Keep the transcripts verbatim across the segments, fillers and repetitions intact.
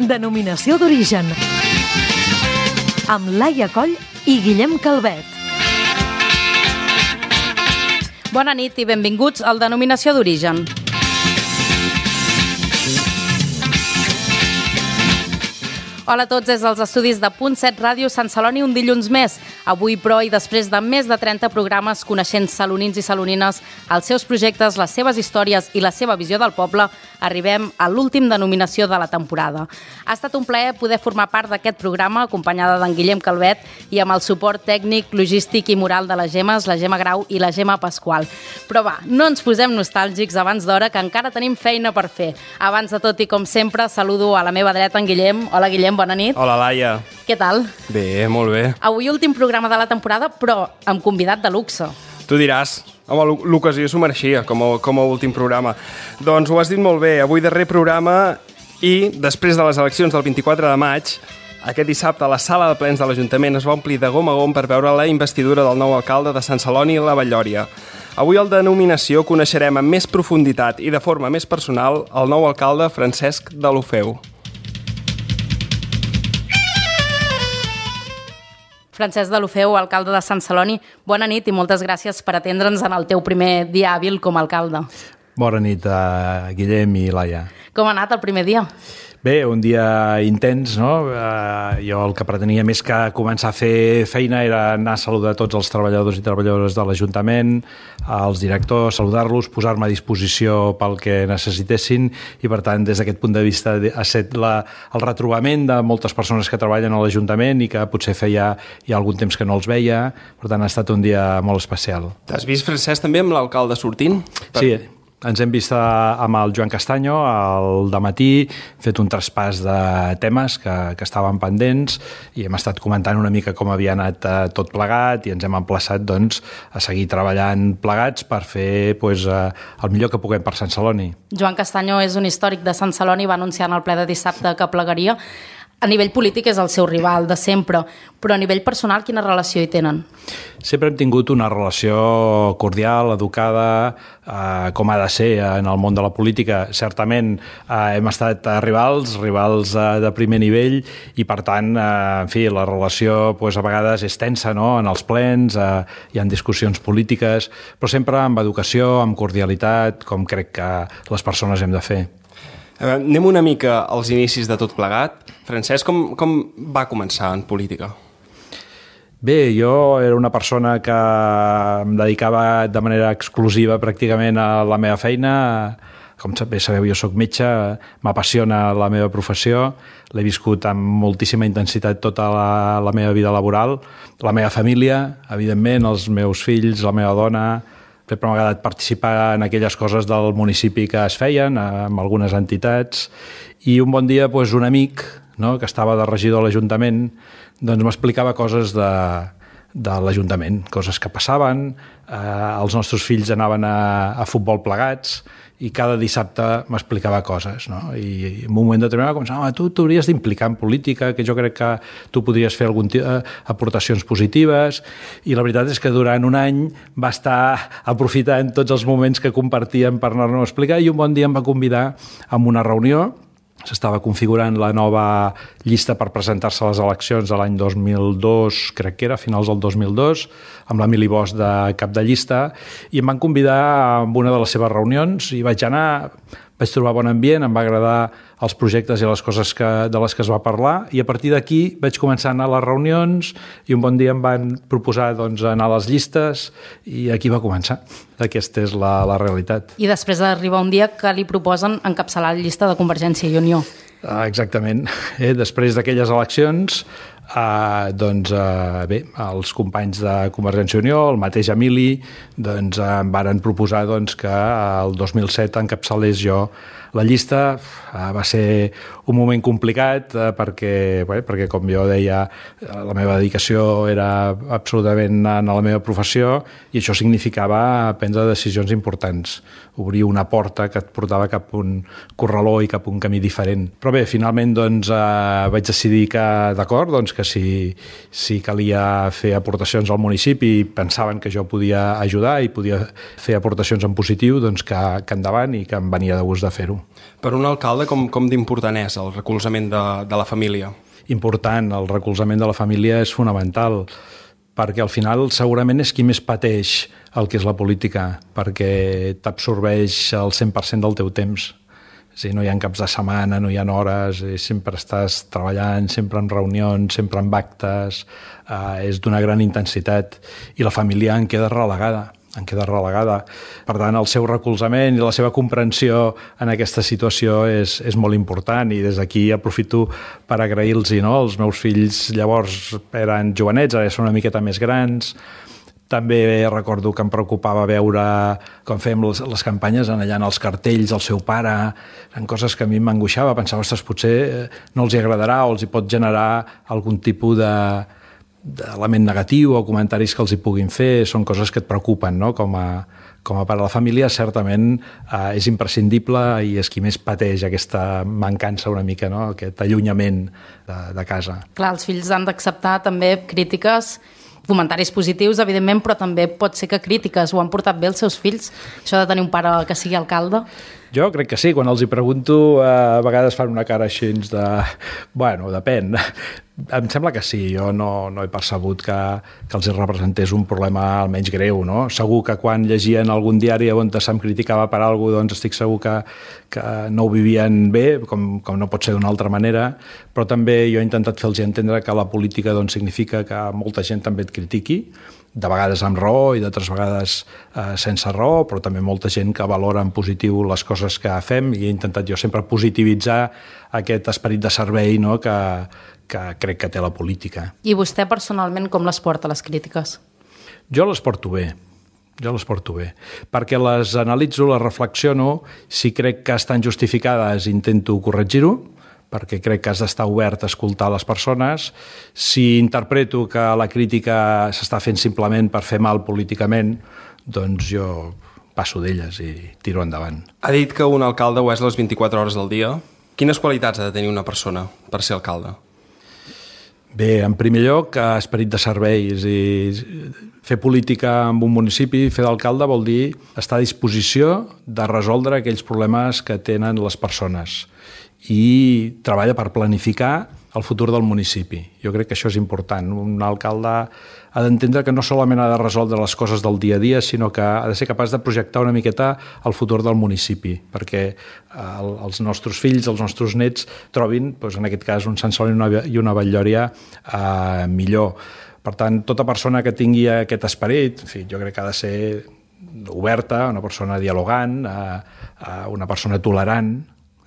Denominació d'origen, amb Laia Coll i Guillem Calvet. Bona nit i benvinguts al Denominació d'origen. Hola a tots des dels estudis de Punt set Ràdio Sant Celoni un dilluns més. Avui, però, i després de més de trenta programes coneixent salonins i salonines, els seus projectes, les seves històries i la seva visió del poble, arribem a l'últim denominació de la temporada. Ha estat un plaer poder formar part d'aquest programa, acompanyada d'en Guillem Calvet i amb el suport tècnic, logístic i moral de les Gemes, la Gemma Grau i la Gemma Pasqual. Però va, no ens posem nostàlgics abans d'hora, que encara tenim feina per fer. Abans de tot i com sempre, saludo a la meva dreta en Guillem. Hola, Guillem, bona nit. Hola, Laia. Què tal? Bé, molt bé. Avui últim programa de la temporada, però amb convidat de luxe. Tu diràs, home, l'ocasió s'ho mereixia com a, com a últim programa. Doncs ho has dit molt bé, avui darrer programa i després de les eleccions del vint-i-quatre de maig, aquest dissabte la sala de plens de l'Ajuntament es va omplir de gom a gom per veure la investidura del nou alcalde de Sant Celoni i la Vall-lloria. Avui al Denominació coneixerem amb més profunditat i de forma més personal el nou alcalde Francesc Deulofeu. Francesc Deulofeu, alcalde de Sant Celoni, bona nit i moltes gràcies per atendre'ns en el teu primer dia hàbil com a alcalde. Bona nit a Guillem i Laia. Com ha anat el primer dia? Bé, un dia intens, no? Uh, jo el que pretenia més que començar a fer feina era anar a saludar tots els treballadors i treballadores de l'Ajuntament, els directors, saludar-los, posar-me a disposició pel que necessitessin i, per tant, des d'aquest punt de vista ha estat la, el retrobament de moltes persones que treballen a l'Ajuntament i que potser feia ja algun temps que no els veia. Per tant, ha estat un dia molt especial. T'has vist, Francesc, també amb l'alcalde sortint? Per... Sí, ens hem vist amb el Joan Castanyo al dematí, fet un traspàs de temes que, que estaven pendents i hem estat comentant una mica com havia anat eh, tot plegat i ens hem emplaçat doncs, a seguir treballant plegats per fer pues, eh, el millor que puguem per Sant Celoni. Joan Castanyo és un històric de Sant Celoni, va anunciar en el ple de dissabte que plegaria. A nivell polític és el seu rival de sempre, però a nivell personal quina relació hi tenen? Sempre hem tingut una relació cordial, educada, eh, com ha de ser en el món de la política. Certament eh, hem estat rivals, rivals eh, de primer nivell i per tant, eh, en fi, la relació pues, a vegades és tensa, no? En els plens, eh, hi ha discussions polítiques, però sempre amb educació, amb cordialitat, com crec que les persones hem de fer. Uh, anem una mica als inicis de tot plegat. Francesc, com, com va començar en política? Bé, jo era una persona que em dedicava de manera exclusiva pràcticament a la meva feina. Com bé sabeu, jo soc metge, m'apassiona la meva professió, l'he viscut amb moltíssima intensitat tota la, la meva vida laboral, la meva família, evidentment, els meus fills, la meva dona. Sempre m'ha agradat participar en aquelles coses del municipi que es feien, amb algunes entitats, i un bon dia doncs, un amic, no, que estava de regidor a l'Ajuntament, doncs m'explicava coses de, de l'Ajuntament, coses que passaven, eh, els nostres fills anaven a, a futbol plegats, i cada dissabte m'explicava coses, no? I en un moment determinat començava, tu t'hauries d'implicar en política, que jo crec que tu podries fer algun t- aportacions positives, i la veritat és que durant un any va estar aprofitant tots els moments que compartíem per anar-nos a explicar, i un bon dia em va convidar a una reunió. S'estava configurant la nova llista per presentar-se a les eleccions de l'any dos mil dos, crec que era, a finals del dos mil dos, amb l'Emili Bosch de cap de llista, i em van convidar a una de les seves reunions i vaig anar, vaig trobar bon ambient, em va agradar els projectes i les coses que, de les que es va parlar, i a partir d'aquí vaig començar a anar a les reunions i un bon dia em van proposar doncs, anar a les llistes i aquí va començar. Aquesta és la, la realitat. I després d'arribar un dia que li proposen encapçalar la llista de Convergència i Unió. Ah, exactament. Eh, després d'aquelles eleccions, eh, doncs, eh, bé, els companys de Convergència i Unió, el mateix Emili, doncs, em varen proposar doncs, que el dos mil set encapçalés jo la llista. Eh, va ser un moment complicat eh, perquè, bé, perquè, com jo deia, la meva dedicació era absolutament en la meva professió i això significava prendre decisions importants, obrir una porta que et portava cap a un corraló i cap a un camí diferent. Però bé, finalment doncs, eh, vaig decidir que, d'acord, doncs, que si, si calia fer aportacions al municipi i pensaven que jo podia ajudar i podia fer aportacions en positiu, doncs que, que endavant i que em venia de gust de fer-ho. fer-ho. Per un alcalde, com, com d'important és el recolzament de, de la família? Important, el recolzament de la família és fonamental, perquè al final segurament és qui més pateix el que és la política, perquè t'absorbeix el cent per cent del teu temps. És a dir, no hi ha caps de setmana, no hi ha hores, sempre estàs treballant, sempre en reunions, sempre en actes, eh, és d'una gran intensitat i la família en queda relegada, en queda relegada. Per tant, el seu recolzament i la seva comprensió en aquesta situació és, és molt important i des d'aquí aprofito per agrair-los, no? Els meus fills llavors eren jovenets, ara són una miqueta més grans. També recordo que em preocupava veure com fèiem les, les campanyes allà en els cartells del seu pare, eren coses que a mi m'angoixava, pensava, ostres, potser no els hi agradarà o els hi pot generar algun tipus de, d'element negatiu o comentaris que els hi puguin fer, són coses que et preocupen, no? Com a, com a pare de la família, certament eh, és imprescindible i és qui més pateix aquesta mancança una mica, no? Aquest allunyament de, de casa. Clar, els fills han d'acceptar també crítiques, comentaris positius, evidentment, però també pot ser que crítiques. Ho han portat bé els seus fills, això de tenir un pare que sigui alcalde? Jo crec que sí, quan els hi pregunto a vegades fan una cara així de... Bueno, depèn. Em sembla que sí, jo no, no he percebut que, que els representés un problema almenys greu, no? Segur que quan llegien algun diari on se'm criticava per alguna cosa, doncs estic segur que, que no ho vivien bé, com, com no pot ser d'una altra manera, però també jo he intentat fer-los entendre que la política doncs, significa que molta gent també et critiqui, de vegades amb raó i d'altres vegades eh, sense raó, però també molta gent que valora en positiu les coses que fem i he intentat jo sempre positivitzar aquest esperit de servei, no?, que, que crec que té la política. I vostè personalment com les porta, les crítiques? Jo les porto bé, jo les porto bé, perquè les analitzo, les reflexiono, si crec que estan justificades intento corregir-ho, perquè crec que has d'estar obert a escoltar les persones. Si interpreto que la crítica s'està fent simplement per fer mal políticament, doncs jo passo d'elles i tiro endavant. Ha dit que un alcalde ho és les vint-i-quatre hores del dia. Quines qualitats ha de tenir una persona per ser alcalde? Bé, en primer lloc, esperit de serveis i fer política en un municipi, fer d'alcalde vol dir estar a disposició de resoldre aquells problemes que tenen les persones i treballa per planificar el futur del municipi. Jo crec que això és important. Un alcalde ha d'entendre que no solament ha de resoldre les coses del dia a dia, sinó que ha de ser capaç de projectar una miqueta el futur del municipi, perquè el, els nostres fills, els nostres nets, trobin, doncs, en aquest cas, un Sant Celoni i una, i una Vall-lloria eh, millor. Per tant, tota persona que tingui aquest esperit, en fi, jo crec que ha de ser oberta, una persona dialogant, eh, eh, una persona tolerant.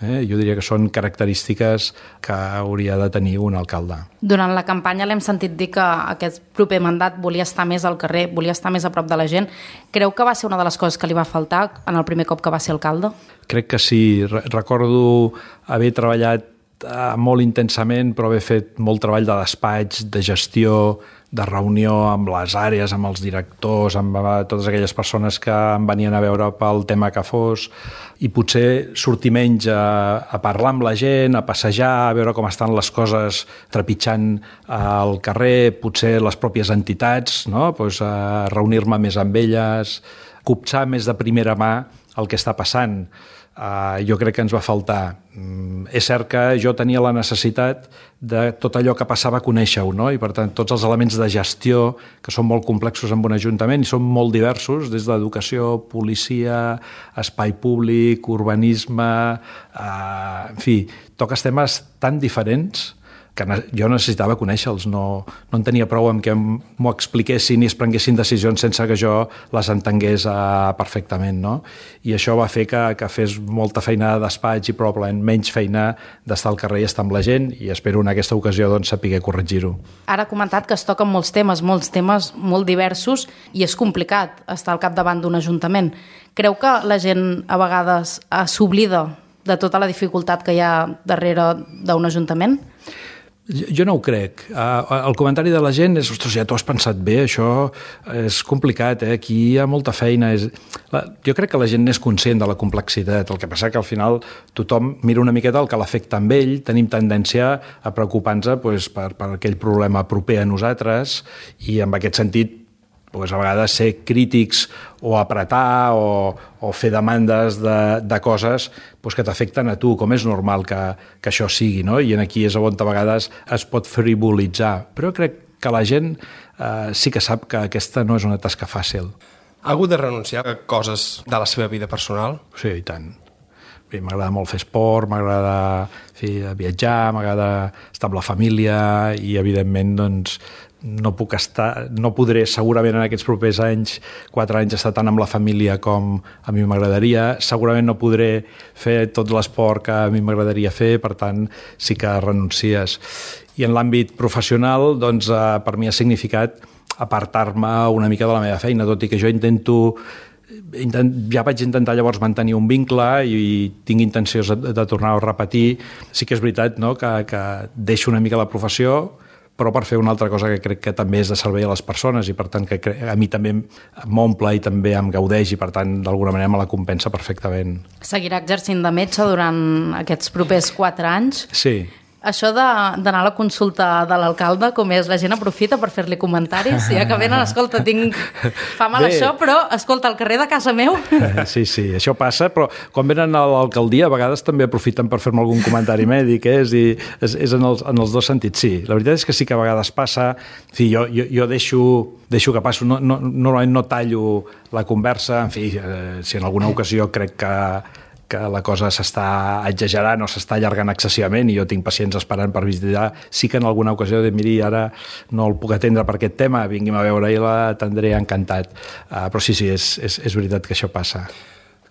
Eh? Jo diria que són característiques que hauria de tenir un alcalde. Durant la campanya l'hem sentit dir que aquest proper mandat volia estar més al carrer, volia estar més a prop de la gent. Creu que va ser una de les coses que li va faltar en el primer cop que va ser alcalde? Crec que sí. Recordo haver treballat molt intensament, però haver fet molt treball de despatx, de gestió, de reunió amb les àrees, amb els directors, amb totes aquelles persones que em venien a veure pel tema que fos, i potser sortir menys a, a parlar amb la gent, a passejar, a veure com estan les coses trepitjant al carrer, potser les pròpies entitats, no? Pues, a reunir-me més amb elles, copsar més de primera mà el que està passant. Uh, jo crec que ens va faltar. Mm, és cert que jo tenia la necessitat de tot allò que passava conèixer-ho, no? I per tant tots els elements de gestió que són molt complexos en un ajuntament i són molt diversos, des d'educació, policia, espai públic, urbanisme, uh, en fi, toques temes tan diferents que jo necessitava conèixer-los, no, no en tenia prou amb que m'ho expliquessin i es prenguessin decisions sense que jo les entengués uh, perfectament, no? I això va fer que, que fes molta feina de despatx i probablement menys feina d'estar al carrer i estar amb la gent, i espero en aquesta ocasió doncs, saber corregir-ho. Ara ha comentat que es toquen molts temes, molts temes molt diversos, i és complicat estar al capdavant d'un ajuntament. Creu que la gent a vegades s'oblida de tota la dificultat que hi ha darrere d'un ajuntament? Jo no ho crec. El comentari de la gent és, ostres, ja t'ho has pensat bé, això és complicat, eh? Aquí hi ha molta feina. És... Jo crec que la gent n'és conscient de la complexitat, el que passa que al final tothom mira una miqueta el que l'afecta amb ell, tenim tendència a preocupar-nos pues, per, per aquell problema proper a nosaltres, i en aquest sentit pues, a vegades ser crítics o apretar o, o fer demandes de, de coses pues, que t'afecten a tu, com és normal que, que això sigui, no? I aquí és on a vegades es pot frivolitzar. Però crec que la gent eh, sí que sap que aquesta no és una tasca fàcil. Ha hagut de renunciar a coses de la seva vida personal? Sí, i tant. M'agrada molt fer esport, m'agrada fer, viatjar, m'agrada estar amb la família i, evidentment, doncs, no puc estar, no podré segurament en aquests propers anys, quatre anys, estar tant amb la família com a mi m'agradaria. Segurament no podré fer tot l'esport que a mi m'agradaria fer, per tant, sí que renuncies. I en l'àmbit professional, doncs, per mi ha significat apartar-me una mica de la meva feina, tot i que jo intento Intent, ja vaig intentar llavors mantenir un vincle i, i tinc intencions de, de tornar a repetir. Sí que és veritat, no?, que, que deixo una mica la professió, però per fer una altra cosa que crec que també és de servei a les persones i per tant que a mi també m'omple i també em gaudeix i per tant d'alguna manera me la compensa perfectament. Seguirà exercint de metge durant aquests propers quatre anys? Sí. Això d'anar a la consulta de l'alcalde, com és, la gent aprofita per fer-li comentaris, ja que venen, escolta, tinc... fa mal Bé. això, però, escolta, al carrer de casa meu... Sí, sí, això passa, però quan venen a l'alcaldia a vegades també aprofiten per fer-me algun comentari mèdic, eh? és, dir, és, és en, els, en els dos sentits, sí. La veritat és que sí que a vegades passa, en fi, jo, jo, jo deixo, deixo que passo, no, no, normalment no tallo la conversa, en fi, eh, si en alguna ocasió crec que que la cosa s'està exagerant o s'està allargant excessivament i jo tinc pacients esperant per visitar, sí que en alguna ocasió de miri, ara no el puc atendre per aquest tema, vingui'm a veure i l'atendré encantat. Uh, però sí, sí, és, és, és veritat que això passa.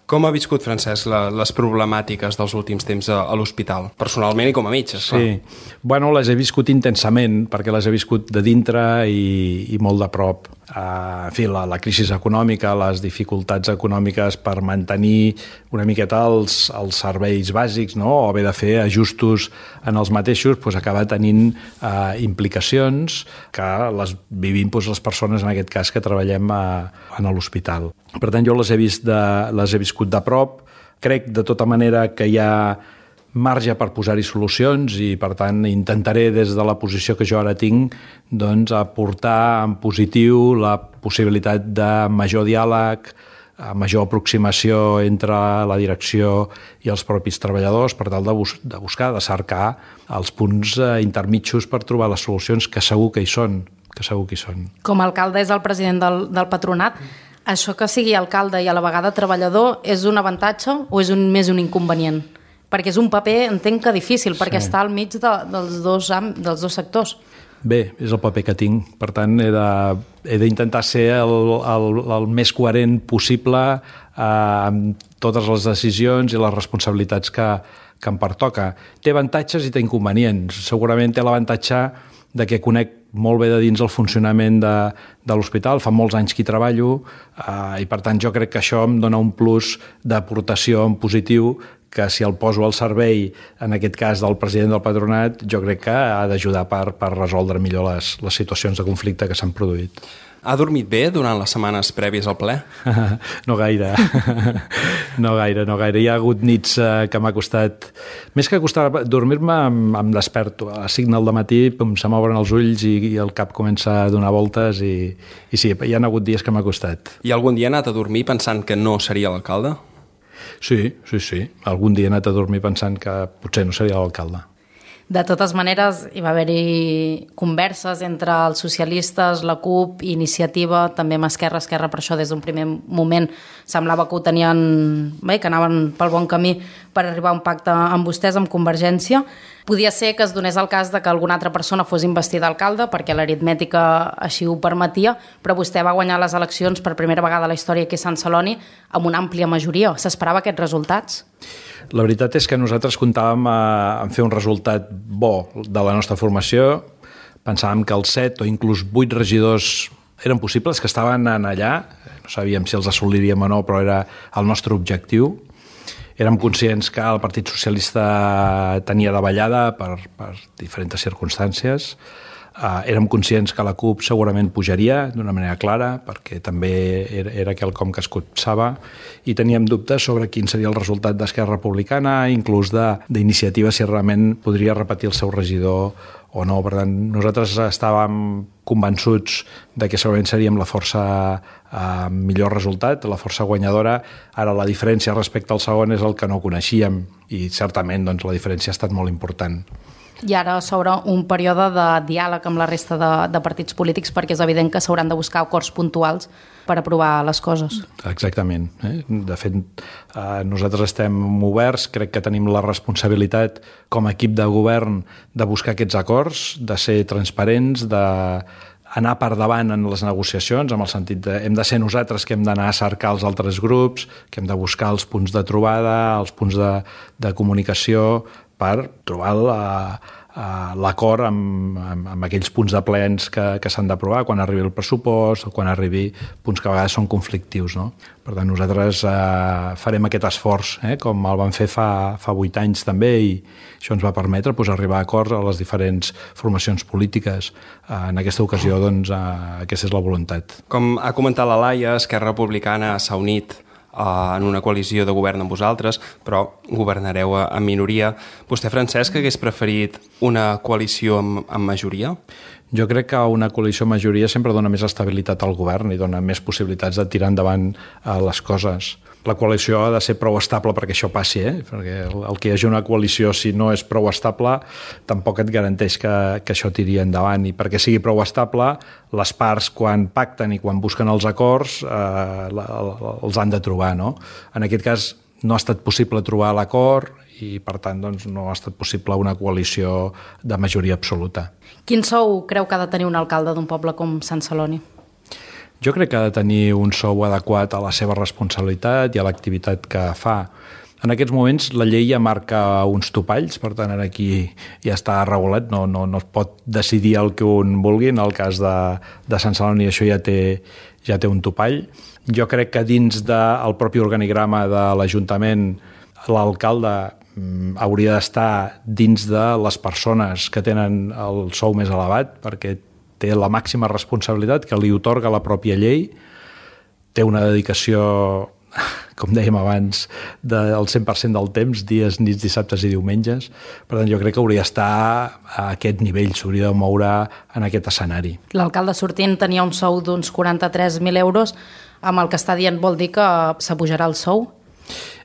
Com ha viscut, Francesc, la, les problemàtiques dels últims temps a, a l'hospital? Personalment i com a metge, esclar. Sí. Bueno, les he viscut intensament, perquè les he viscut de dintre i, i molt de prop. Uh, en fi, la, la crisi econòmica, les dificultats econòmiques per mantenir una miqueta els, els serveis bàsics, no?, o haver de fer ajustos en els mateixos, doncs acaba tenint uh, implicacions que les vivim doncs, les persones, en aquest cas, que treballem a, a l'hospital. Per tant, jo les he, vist de, les he viscut de prop. Crec, de tota manera, que hi ha marge per posar-hi solucions i, per tant, intentaré, des de la posició que jo ara tinc, doncs, aportar en positiu la possibilitat de major diàleg, major aproximació entre la direcció i els propis treballadors per tal de, bus de buscar, de cercar els punts intermitjos per trobar les solucions que segur que hi són, que segur que hi són. Com a alcalde és el president del, del patronat. Això que sigui alcalde i a la vegada treballador és un avantatge o és un, més un inconvenient? Perquè és un paper, entenc que difícil, perquè sí. està al mig de, dels, dos, dels dos sectors. Bé, és el paper que tinc. Per tant, he d'intentar ser el, el, el més coherent possible eh, amb totes les decisions i les responsabilitats que, que em pertoca. Té avantatges i té inconvenients. Segurament té l'avantatge de que conec molt bé de dins el funcionament de, de l'hospital, fa molts anys que hi treballo eh, i per tant jo crec que això em dona un plus d'aportació en positiu que si el poso al servei, en aquest cas del president del patronat, jo crec que ha d'ajudar per, per resoldre millor les, les situacions de conflicte que s'han produït. Ha dormit bé durant les setmanes prèvies al ple? No gaire, no gaire, no gaire. Hi ha hagut nits eh, que m'ha costat... Més que costar dormir-me, em, em desperto. A les cinc del matí se m'obren els ulls i, i el cap comença a donar voltes i, i sí, hi ha hagut dies que m'ha costat. I algun dia ha anat a dormir pensant que no seria l'alcalde? Sí, sí, sí. Algun dia he anat a dormir pensant que potser no seria l'alcalde. De totes maneres, hi va haver-hi converses entre els socialistes, la CUP, Iniciativa, també amb Esquerra, Esquerra, per això des d'un primer moment semblava que ho tenien bé, que anaven pel bon camí per arribar a un pacte amb vostès, amb Convergència. Podia ser que es donés el cas de que alguna altra persona fos investida alcalde, perquè l'aritmètica així ho permetia, però vostè va guanyar les eleccions per primera vegada a la història aquí a Sant Celoni amb una àmplia majoria. S'esperava aquests resultats? La veritat és que nosaltres comptàvem en fer un resultat bo de la nostra formació. Pensàvem que els set o inclús vuit regidors eren possibles, que estaven allà. No sabíem si els assoliríem o no, però era el nostre objectiu. Érem conscients que el Partit Socialista tenia davallada per, per diferents circumstàncies. Uh, érem conscients que la CUP segurament pujaria d'una manera clara, perquè també era, era quelcom que es copsava, i teníem dubtes sobre quin seria el resultat d'Esquerra Republicana, inclús d'Iniciativa, si realment podria repetir el seu regidor o no. Per tant, nosaltres estàvem convençuts de que segurament seríem la força amb eh, millor resultat, la força guanyadora. Ara la diferència respecte al segon és el que no coneixíem, i certament doncs, la diferència ha estat molt important. I ara s'obre un període de diàleg amb la resta de, de partits polítics, perquè és evident que s'hauran de buscar acords puntuals per aprovar les coses. Exactament. Eh? De fet, eh, nosaltres estem oberts, crec que tenim la responsabilitat com a equip de govern de buscar aquests acords, de ser transparents, de anar per davant en les negociacions, amb el sentit de hem de ser nosaltres que hem d'anar a cercar els altres grups, que hem de buscar els punts de trobada, els punts de, de comunicació, per trobar l'acord amb, amb, amb aquells punts de plens que, que s'han d'aprovar quan arribi el pressupost o quan arribi punts que a vegades són conflictius. No? Per tant, nosaltres eh, farem aquest esforç, eh, com el vam fer fa, fa vuit anys també, i això ens va permetre pues, arribar a acords a les diferents formacions polítiques. Eh, en aquesta ocasió, doncs, eh, aquesta és la voluntat. Com ha comentat la Laia, Esquerra Republicana s'ha unit en una coalició de govern amb vosaltres, però governareu en minoria. Vostè, Francesc, hagués preferit una coalició amb, amb majoria? Jo crec que una coalició amb majoria sempre dona més estabilitat al govern i dona més possibilitats de tirar endavant les coses. La coalició ha de ser prou estable perquè això passi, eh? Perquè el, el que hi hagi una coalició, si no és prou estable, tampoc et garanteix que, que això tiri endavant. I perquè sigui prou estable, les parts, quan pacten i quan busquen els acords, eh, la, els han de trobar. No? En aquest cas, no ha estat possible trobar l'acord i, per tant, doncs, no ha estat possible una coalició de majoria absoluta. Quin sou creu que ha de tenir un alcalde d'un poble com Sant Celoni? Jo crec que ha de tenir un sou adequat a la seva responsabilitat i a l'activitat que fa. En aquests moments la llei ja marca uns topalls, per tant aquí ja està regulat, no, no, no es pot decidir el que un vulgui. En el cas de, de Sant Celoni això ja té, ja té un topall. Jo crec que dins del propi organigrama de l'Ajuntament l'alcalde hauria d'estar dins de les persones que tenen el sou més elevat, perquè té la màxima responsabilitat que li atorga la pròpia llei, té una dedicació, com dèiem abans, del cent per cent del temps, dies, nits, dissabtes i diumenges. Per tant, jo crec que hauria d'estar a aquest nivell, s'hauria de moure en aquest escenari. L'alcalde sortint tenia un sou d'uns quaranta-tres mil euros, amb el que està dient vol dir que s'apujarà el sou?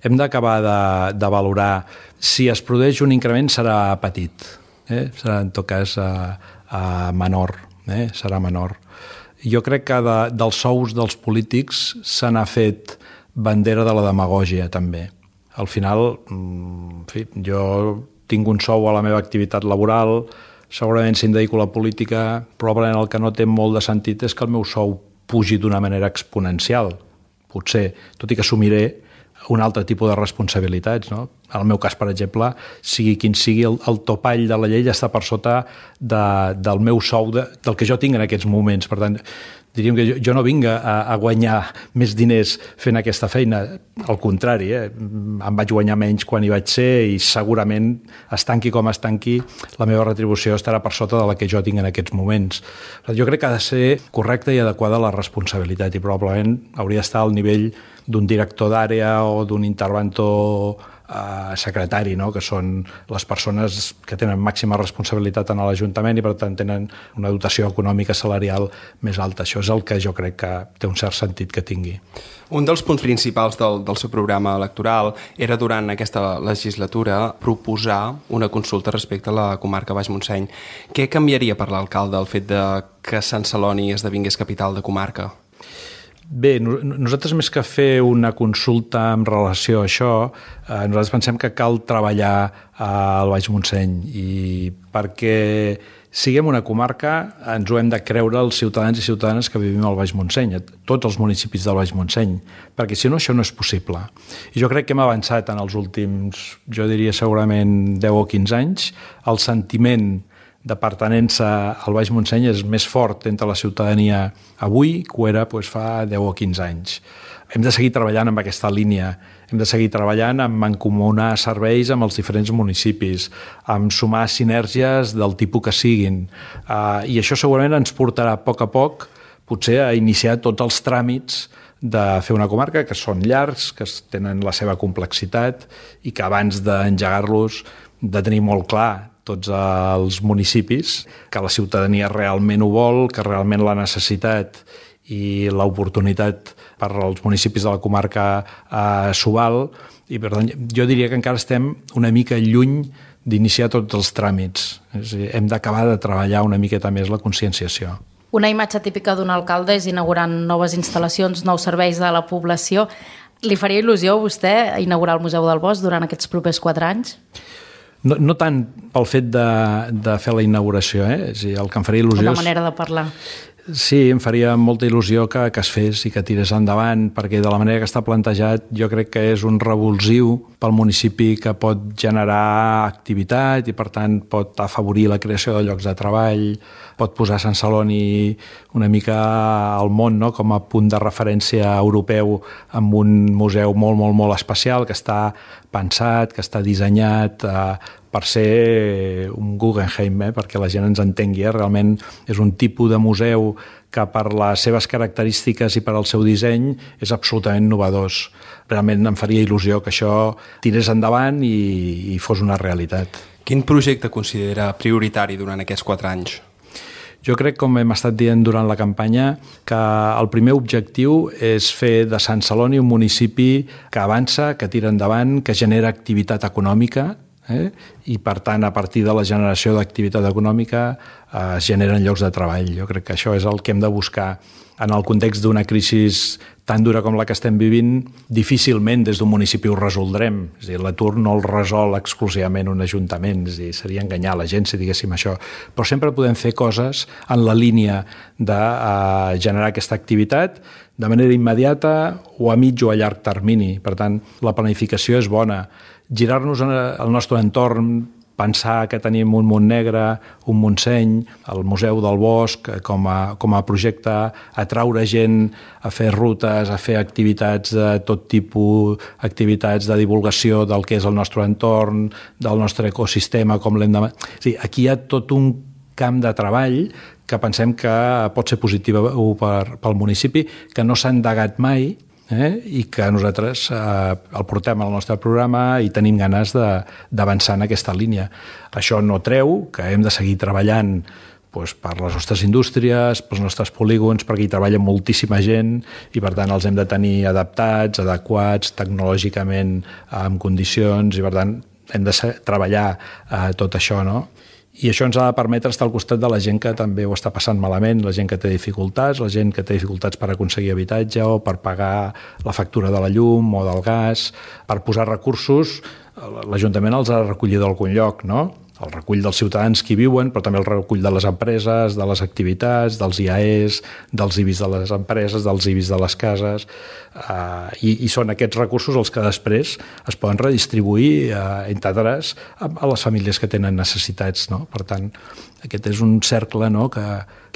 Hem d'acabar de, de valorar. Si es produeix un increment serà petit, eh? Serà en tot cas a, a menor. Eh, serà menor. Jo crec que de, dels sous dels polítics se n'ha fet bandera de la demagògia, també. Al final, en fi, jo tinc un sou a la meva activitat laboral, segurament si em dedico a la política, probablement el que no té molt de sentit és que el meu sou pugi d'una manera exponencial. Potser, tot i que assumiré un altre tipus de responsabilitats. No? En el meu cas, per exemple, sigui quin sigui, el, el topall de la llei està per sota de, del meu sou, de, del que jo tinc en aquests moments. Per tant, diríem que jo, jo no vinc a, a guanyar més diners fent aquesta feina. Al contrari, eh? Em vaig guanyar menys quan hi vaig ser i segurament, es tanqui com es tanqui, la meva retribució estarà per sota de la que jo tinc en aquests moments. Jo crec que ha de ser correcta i adequada la responsabilitat i probablement hauria d'estar al nivell d'un director d'àrea o d'un interventor eh, secretari, no? Que són les persones que tenen màxima responsabilitat en l'Ajuntament i per tant tenen una dotació econòmica salarial més alta. Això és el que jo crec que té un cert sentit que tingui. Un dels punts principals del, del seu programa electoral era durant aquesta legislatura proposar una consulta respecte a la comarca Baix Montseny. Què canviaria per l'alcalde el fet de que Sant Celoni esdevingués capital de comarca? Bé, nosaltres més que fer una consulta en relació a això, eh, nosaltres pensem que cal treballar al Baix Montseny i perquè siguem una comarca ens ho hem de creure els ciutadans i ciutadanes que vivim al Baix Montseny, tots els municipis del Baix Montseny, perquè si no això no és possible. I jo crec que hem avançat en els últims, jo diria segurament deu o quinze anys, el sentiment de pertenença al Baix Montseny és més fort entre la ciutadania avui que ho era doncs, fa deu o quinze anys. hem de seguir treballant amb aquesta línia, hem de seguir treballant amb mancomunar serveis amb els diferents municipis, amb sumar sinergies del tipus que siguin. Uh, I això segurament ens portarà a poc a poc potser a iniciar tots els tràmits de fer una comarca, que són llargs, que tenen la seva complexitat i que abans d'engegar-los de tenir molt clar tots els municipis, que la ciutadania realment ho vol, que realment la necessitat i l'oportunitat per als municipis de la comarca eh, s'ho val, i per tant jo diria que encara estem una mica lluny d'iniciar tots els tràmits. És a dir, hem d'acabar de treballar una miqueta més la conscienciació. Una imatge típica d'un alcalde és inaugurant noves instal·lacions, nous serveis a la població. Li faria il·lusió a vostè inaugurar el Museu del Bosc durant aquests propers quatre anys? No, no tant pel fet de, de fer la inauguració, eh? És a dir, el que em faria il·lusió... Una manera de parlar. Sí, em faria molta il·lusió que, que es fes i que tirés endavant, perquè de la manera que està plantejat jo crec que és un revulsiu pel municipi que pot generar activitat i per tant pot afavorir la creació de llocs de treball, pot posar Sant Celoni una mica al món, no?, com a punt de referència europeu amb un museu molt, molt, molt especial que està pensat, que està dissenyat eh, per ser un Guggenheim, eh, perquè la gent ens entengui. Eh? Realment és un tipus de museu que per les seves característiques i per al seu disseny és absolutament innovador. Realment em faria il·lusió que això tirés endavant i, i fos una realitat. Quin projecte considera prioritari durant aquests quatre anys? Jo crec, com hem estat dient durant la campanya, que el primer objectiu és fer de Sant Celoni un municipi que avança, que tira endavant, que genera activitat econòmica, eh? I per tant a partir de la generació d'activitat econòmica eh, es generen llocs de treball. Jo crec que això és el que hem de buscar. En el context d'una crisi tan dura com la que estem vivint, difícilment des d'un municipi ho resoldrem. És a dir, l'atur no el resol exclusivament un ajuntament, és a dir, seria enganyar la gent si diguéssim això. Però sempre podem fer coses en la línia de eh, generar aquesta activitat de manera immediata o a mig o a llarg termini. Per tant, la planificació és bona. Girar-nos al nostre entorn, pensar que tenim un Montnegre, un Montseny, el Museu del Bosc com a, com a projecte, atraure gent a fer rutes, a fer activitats de tot tipus, activitats de divulgació del que és el nostre entorn, del nostre ecosistema, com l'hem de... O sigui, aquí hi ha tot un camp de treball que pensem que pot ser positiu per, pel municipi, que no s'ha endegat mai, Eh? i que nosaltres eh, el portem al nostre programa i tenim ganes d'avançar en aquesta línia. Això no treu que hem de seguir treballant doncs, per les nostres indústries, pels nostres polígons, perquè hi treballa moltíssima gent i per tant els hem de tenir adaptats, adequats, tecnològicament en condicions i per tant hem de treballar eh, tot això, no? I això ens ha de permetre estar al costat de la gent que també ho està passant malament, la gent que té dificultats, la gent que té dificultats per aconseguir habitatge o per pagar la factura de la llum o del gas, per posar recursos. L'Ajuntament els ha recollit d'algun lloc, no? El recull dels ciutadans que hi viuen, però també el recull de les empreses, de les activitats, dels I A Es, dels I B I S de les empreses, dels I B I S de les cases, eh, i, i són aquests recursos els que després es poden redistribuir, eh, entre altres, a, a les famílies que tenen necessitats, no? Per tant, aquest és un cercle, no?, que,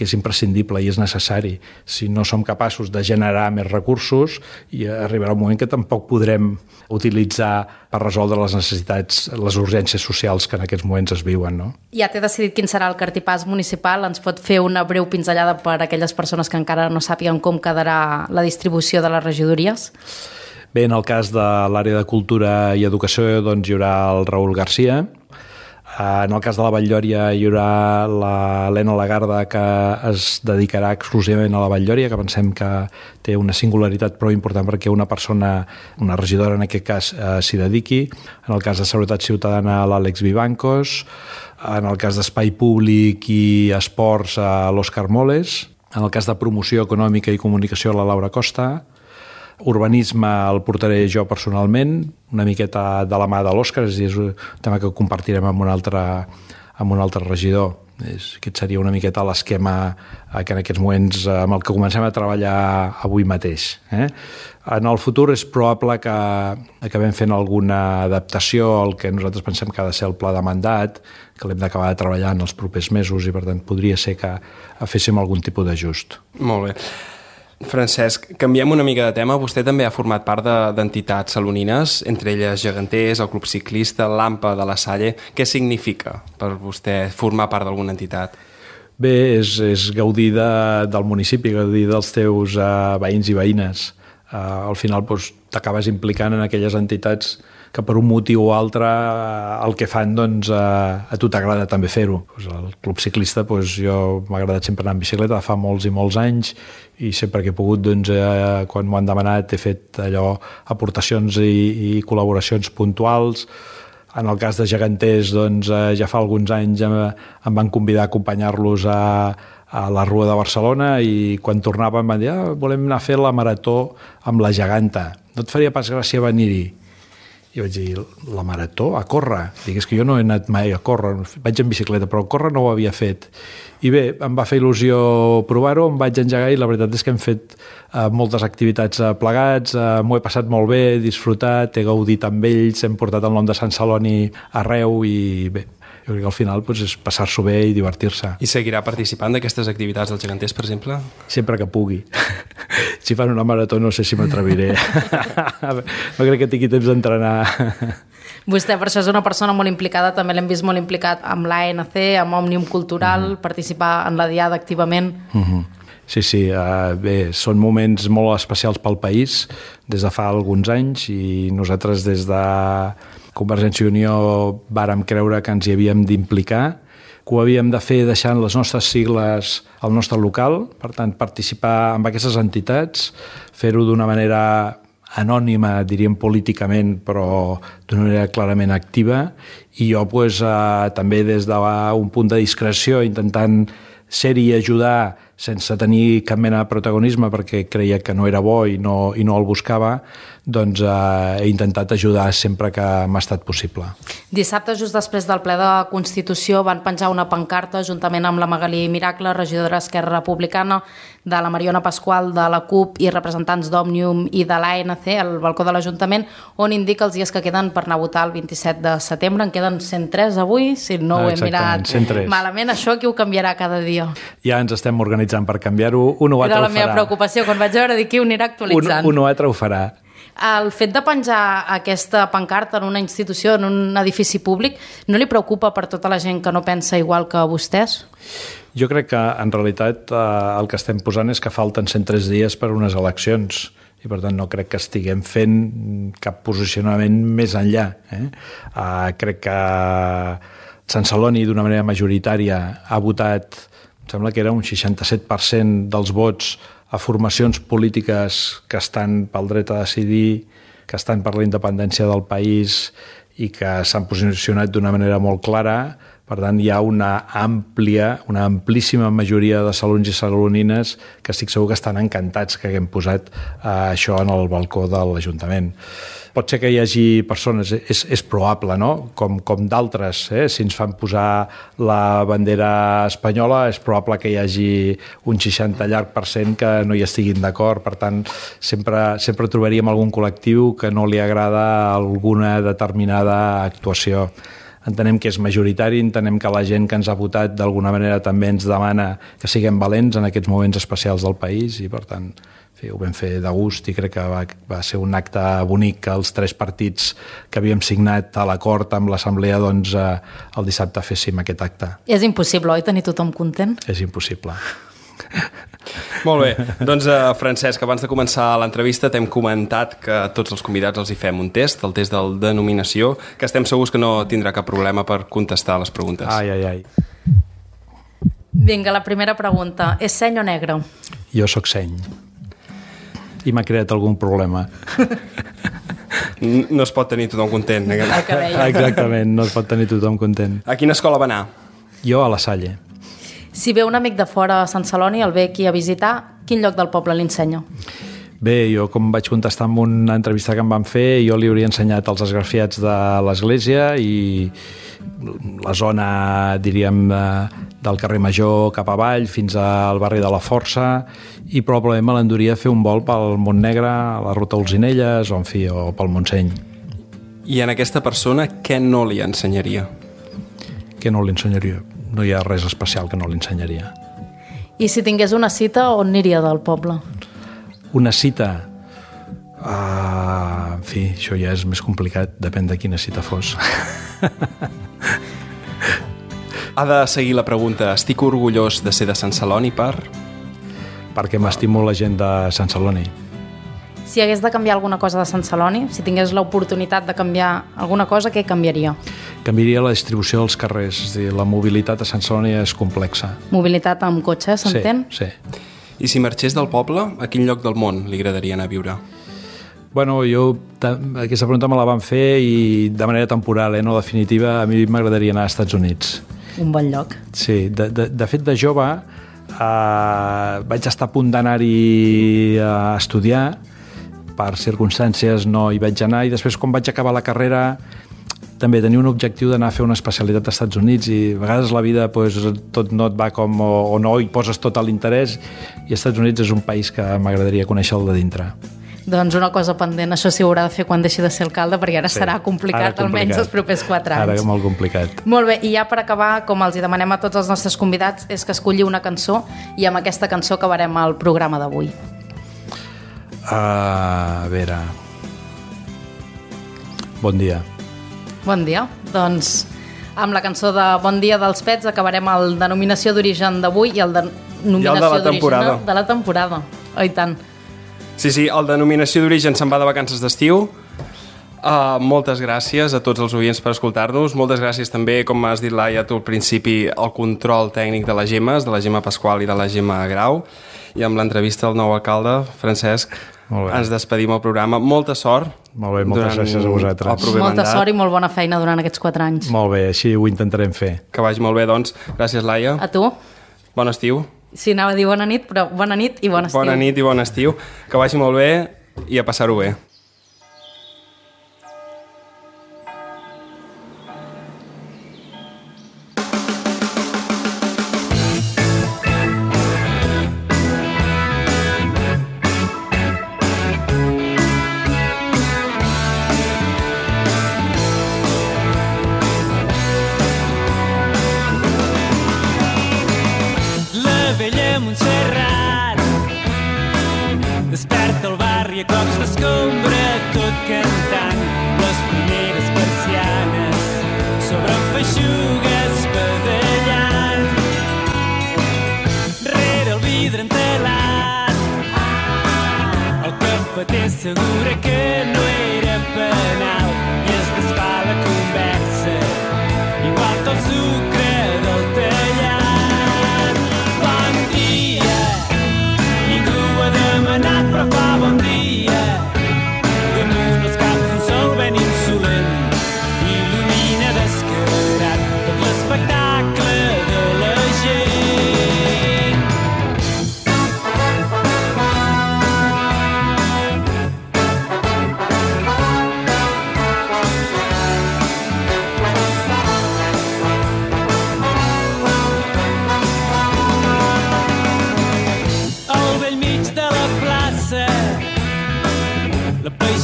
que és imprescindible i és necessari. Si no som capaços de generar més recursos, i arribarà un moment que tampoc podrem utilitzar per resoldre les necessitats, les urgències socials que en aquests moments es viuen, no? Ja té decidit quin serà el cartipàs municipal. Ens pot fer una breu pinzellada per a aquelles persones que encara no sàpiguen com quedarà la distribució de les regidories? Bé, en el cas de l'àrea de cultura i educació doncs, hi haurà el Raül Garcia. En el cas de la Batllòria hi haurà l'Helena Lagarda, que es dedicarà exclusivament a la Batllòria, que pensem que té una singularitat prou important perquè una persona, una regidora en aquest cas, eh, s'hi dediqui. En el cas de Seguretat Ciutadana, l'Àlex Vivancos. En el cas d'Espai Públic i Esports, a l'Òscar Moles. En el cas de Promoció Econòmica i Comunicació, la Laura Costa. Urbanisme el portaré jo personalment, una miqueta de la mà de l'Òscar, és a dir, és un tema que compartirem amb un altre, amb un altre regidor. És, aquest seria una miqueta l'esquema que en aquests moments amb el que comencem a treballar avui mateix. Eh? En el futur és probable que acabem fent alguna adaptació al que nosaltres pensem que ha de ser el pla de mandat, que l'hem d'acabar de treballar en els propers mesos i per tant podria ser que féssim algun tipus d'ajust. Molt bé. Francesc, canviem una mica de tema. Vostè també ha format part d'entitats salonines, entre elles Geganters, el Club Ciclista, l'Ampa de la Salle. Què significa per vostè formar part d'alguna entitat? Bé, és, és gaudir de, del municipi, gaudir dels teus uh, veïns i veïnes. Uh, al final doncs, t'acabes implicant en aquelles entitats que per un motiu o altre uh, el que fan, doncs, uh, a tu t'agrada també fer-ho. Pues el Club Ciclista, doncs, jo m'ha agradat sempre anar en bicicleta fa molts i molts anys i sempre que he pogut, doncs, uh, quan m'ho han demanat, he fet allò, aportacions i, i col·laboracions puntuals. En el cas de Geganters, doncs, uh, ja fa alguns anys em, em van convidar a acompanyar-los a, a la Rua de Barcelona i quan tornava em van dir ah, volem anar a fer la marató amb la geganta. No et faria pas gràcia venir-hi? I vaig dir, la marató, a córrer? Dic, és que jo no he anat mai a córrer, vaig en bicicleta, però córrer no ho havia fet. I bé, em va fer il·lusió provar-ho, em vaig engegar i la veritat és que hem fet uh, moltes activitats uh, plegats, uh, m'ho he passat molt bé, he disfrutat, he gaudit amb ells, hem portat el nom de Sant Celoni arreu i bé, jo crec que al final doncs, és passar-s'ho bé i divertir-se. I seguirà participant d'aquestes activitats dels geganters, per exemple? Sempre que pugui. Si fan una marató no sé si m'atreviré. No crec que tingui temps d'entrenar. Vostè per això és una persona molt implicada, també l'hem vist molt implicat amb l'A N C, amb Òmnium Cultural, mm-hmm. participar en la Diada activament. Mm-hmm. Sí, sí, uh, bé, són moments molt especials pel país des de fa alguns anys i nosaltres des de Convergència i Unió vàrem creure que ens hi havíem d'implicar, que ho havíem de fer deixant les nostres sigles al nostre local, per tant, participar en aquestes entitats, fer-ho d'una manera anònima, diríem políticament, però d'una manera clarament activa, i jo pues, eh, també des d'un punt de discreció, intentant ser-hi i ajudar sense tenir cap mena de protagonisme perquè creia que no era bo i no, i no el buscava, doncs eh, he intentat ajudar sempre que m'ha estat possible. Dissabte, just després del ple de Constitució, van penjar una pancarta juntament amb la Magalí Miracle, regidora d'Esquerra Republicana, de la Mariona Pasqual, de la CUP i representants d'Òmnium i de l'A N C al balcó de l'Ajuntament, on indica els dies que queden per anar a votar el vint-i-set de setembre. En queden cent tres avui, si no ho he mirat cent tres. Malament. Això qui ho canviarà cada dia? Ja ens estem organitzant per canviar-ho. Un o altre ho farà. Era la meva preocupació quan vaig veure dir qui ho anirà actualitzant. Un, un o altre ho farà. El fet de penjar aquesta pancarta en una institució, en un edifici públic, no li preocupa per tota la gent que no pensa igual que vostès? Jo crec que en realitat eh, el que estem posant és que falten cent tres dies per unes eleccions i per tant no crec que estiguem fent cap posicionament més enllà. Eh? Eh, crec que Sant Celoni d'una manera majoritària ha votat, em sembla que era un seixanta-set per cent dels vots a formacions polítiques que estan pel dret a decidir, que estan per la independència del país i que s'han posicionat d'una manera molt clara. Per tant, hi ha una àmplia, una amplíssima majoria de salons i salonines que estic segur que estan encantats que haguem posat eh, això en el balcó de l'Ajuntament. Pot ser que hi hagi persones, és, és probable, no? Com, com d'altres, eh? Si ens fan posar la bandera espanyola, és probable que hi hagi un seixanta llarg per cent que no hi estiguin d'acord. Per tant, sempre, sempre trobaríem algun col·lectiu que no li agrada alguna determinada actuació. Entenem que és majoritari, entenem que la gent que ens ha votat d'alguna manera també ens demana que siguem valents en aquests moments especials del país i, per tant, sí, ho vam fer de gust i crec que va, va ser un acte bonic que els tres partits que havíem signat a l'acord amb l'Assemblea doncs, eh, el dissabte féssim aquest acte. És impossible, oi, tenir tothom content? És impossible. Molt bé, doncs uh, Francesc, abans de començar l'entrevista t'hem comentat que a tots els convidats els hi fem un test, el test del denominació, que estem segurs que no tindrà cap problema per contestar les preguntes. Ai, ai, ai. Vinga, la primera pregunta. És seny o negre? Jo sóc seny. I m'ha creat algun problema. No es pot tenir tothom content. Exactament, no es pot tenir tothom content. A quina escola va anar? Jo a la Salle. Si ve un amic de fora a Sant Celoni, el ve aquí a visitar, quin lloc del poble li ensenya? Bé, jo com vaig contestar en una entrevista que em van fer, jo li hauria ensenyat els esgrafiats de l'església i la zona, diríem, del carrer Major cap avall fins al barri de la Força i probablement me l'enduria a fer un vol pel Montnegre, a la ruta Olzinelles o, en fi, o pel Montseny. I en aquesta persona què no li ensenyaria? Què no li ensenyaria? No hi ha res especial que no li ensenyaria. I si tingués una cita, on aniria del poble? Una cita... Uh, en fi, això ja és més complicat, depèn de quina cita fos. Ha de seguir la pregunta: estic orgullós de ser de Sant Celoni per... Perquè m'estimo la gent de Sant Celoni. Si hagués de canviar alguna cosa de Sant Celoni, si tingués l'oportunitat de canviar alguna cosa, què canviaria? Canviaria la distribució dels carrers. És a dir, la mobilitat a Sant Celoni és complexa. Mobilitat amb cotxe, s'entén? Sí, sí. I si marxés del poble, a quin lloc del món li agradaria anar a viure? Bueno, jo aquesta pregunta me la van fer i de manera temporal, eh, no definitiva. A mi m'agradaria anar als Estats Units. Un bon lloc. Sí, de, de, de fet, de jove eh, vaig estar a punt d'anar-hi a estudiar. Per circumstàncies no hi vaig anar i després, quan vaig acabar la carrera, també tenia un objectiu d'anar a fer una especialitat als Estats Units i a vegades la vida pues, tot no et va com... O, o no hi poses tot l'interès i als Estats Units és un país que m'agradaria conèixer el de dintre. Doncs una cosa pendent, això sí ho haurà de fer quan deixi de ser alcalde, perquè ara sí, serà complicat, ara complicat, almenys els propers quatre anys. Ara molt complicat. Molt bé, i ja per acabar, com els hi demanem a tots els nostres convidats, és que escolli una cançó i amb aquesta cançó acabarem el programa d'avui. Uh, a veure... Bon dia. Bon dia. Doncs amb la cançó de Bon dia dels Pets acabarem el denominació d'origen d'avui i el denominació d'origen de la temporada. Oh, i tant. Sí, sí, el denominació d'origen se'n va de vacances d'estiu. Uh, moltes gràcies a tots els oients per escoltar-nos. Moltes gràcies també, com has dit, Laia, tu al principi, al control tècnic de les Gemes, de la Gemma Pasqual i de la Gemma Grau. I amb l'entrevista al nou alcalde, Francesc, ens despedim al programa. Molta sort. Molt bé, moltes gràcies a vosaltres. Molta mandat. sort i molt bona feina durant aquests quatre anys. Molt bé, així ho intentarem fer. Que vagi molt bé, doncs. Gràcies, Laia. A tu. Bon estiu. Sí, anava a dir bona nit, però bona nit i bon estiu. Bona nit i bon estiu. Que vagi molt bé i a passar-ho bé. Segura que no era penal i es desfà la conversa igual que el sucre del tallat. Bon dia, ningú ha demanat però fa bon dia. Damunt els caps un sol ben insolent il·lumina descarat tot l'espectacle de la gent.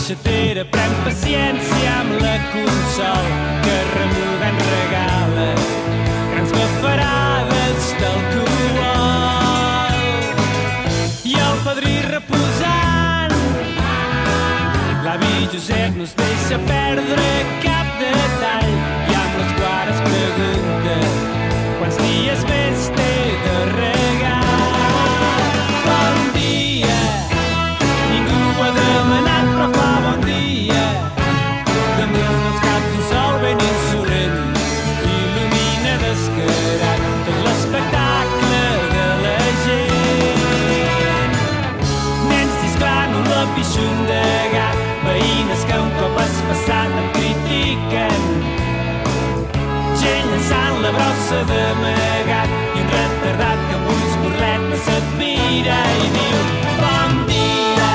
Xatera pren paciència amb la consol que remugant regala grans bafarades d'alcohol. I el padrí reposant, l'avi Josep no es deixa perdre cap detall i amb les guares pregunta quants dies més té de regar. Bon dia, ningú ha demanat però fa bon dia. Damunt els caps un sol ben insolent il·lumina descarat tot l'espectacle de la gent. Nens xisclant un lapixun de gat, veïnes que un cop has passat em critiquen, gent llançant la brossa d'amagat i un retardat que amb ulls burletes et mira i diu bon dia.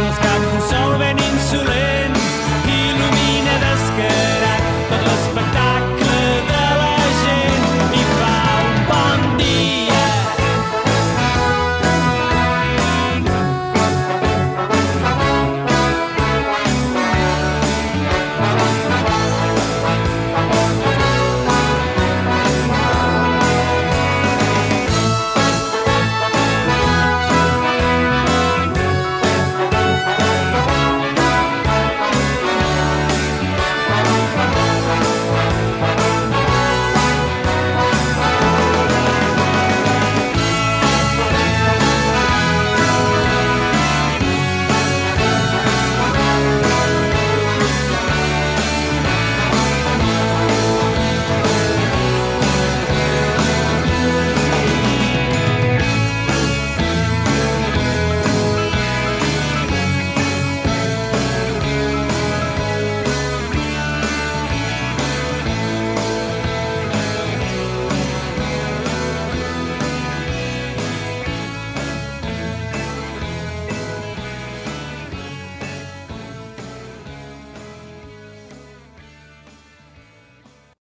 els caps un sol ben